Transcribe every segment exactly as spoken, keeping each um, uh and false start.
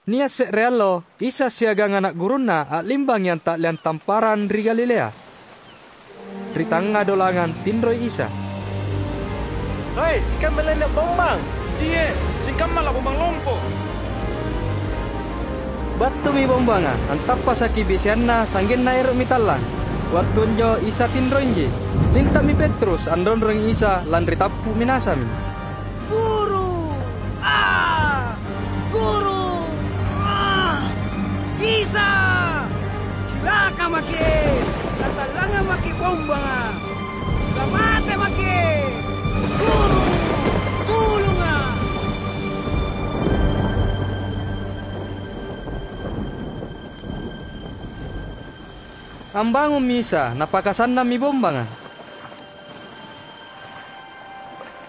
Nia' se're allo, Isa siagang ana' gurunNa a'limbangi anta'leang tamparang ri Galilea. Ri tangnga dolangang tinroi Isa. "Hai, sikamma lainna bombang! Iye, sikamma labombang lompo!" Battumi bombanga, antappasaki biseanna sa'genna ero'mi tallang. Wattu anjo Isa tinroinji. Linta'mi Petrus anronrongi Isa lanri tappu' minasami. "Guru! Ah! Guru! Ah! Isa! Cilaka maki'! Natallangang maki' bombanga! Lamate maki'! Guru! Tulunga'!" Ambangummi Isa, Napakasannammi bombanga.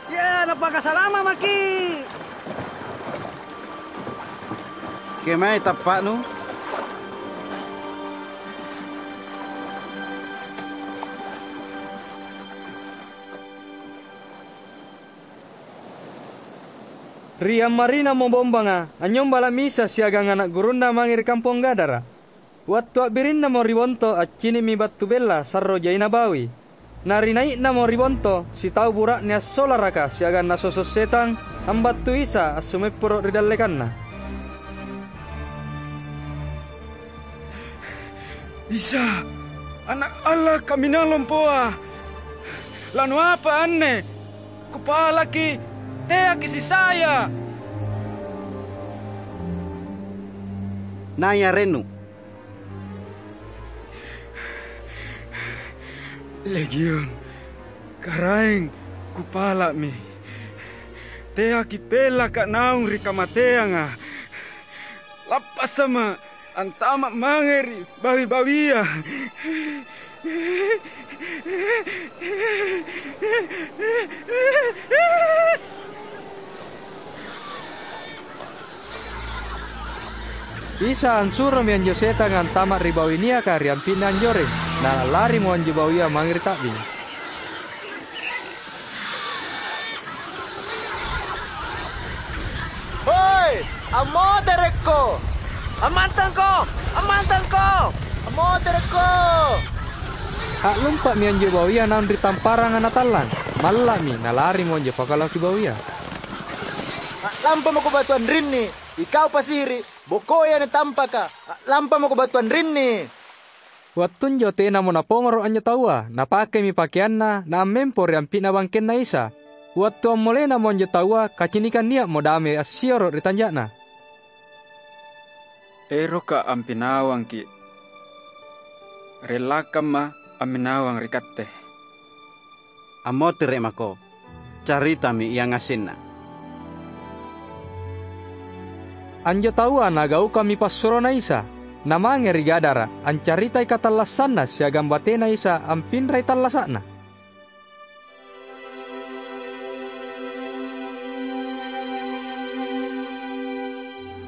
"Iya, Napakasalama' maki'!" "Kemae tappa'nu?" Ri ammarinamo bombanga, anynyombala'mi Isa siagang ana' gurunNa mange ri kampong Gadara. Wattu a'birinnamo ri bonto, accini'mi battu bella sarro jaina bawi. Na ri nai'namo ri bonto, sitau bura'ne assolaraka siagang nasoso' setang, ambattui Isa assumepporo' ri dallekanna. "Isa, Ana' Allata'ala Kaminang Lompoa, lanuapa anne? Kupalaki, teaki sisaya!" "Nai arennu?" "Legion, Karaeng, kupala'mi. Teaki pellaka' naung ri kamateanga. Lappasama' antama' mange ri bawi-bawia." Isa ansuromi anjo setanga antama' ri bawi niaka ri ampi'na anjoreng, na larimo anjo bawia mange ri ta'bing. "Hoi, ammoterekko! Ammantangko! Ammantangko! Ammoterekko!" A'lumpa'mi anjo bawia naung ri tamparanga natallang. Malla'mi, nalarimo anjo pakalaoki bawia. "A'lampamako batu anrinni, ikau pasiri', bokoi anne tampaka! A'lampamako batu anrinni!" Wattunjo tenamo napongoro' anjo taua, napakemi pakeanna naammempo ri ampi'na bangkenNa Isa. Wattu ammolenamo anjo taua, kacinikang nia'mo dame assioro' ri tanja'na. "Eroka' ampinawangki'. Rellakamma amminawang ri katte." "Ammotere' mako, caritami iangasenna." Anjo taua nagaukammi passuroNa Isa, namange ri Gadara, ancaritai katallassanna siagang batena Isa ampinrai tallasa'na.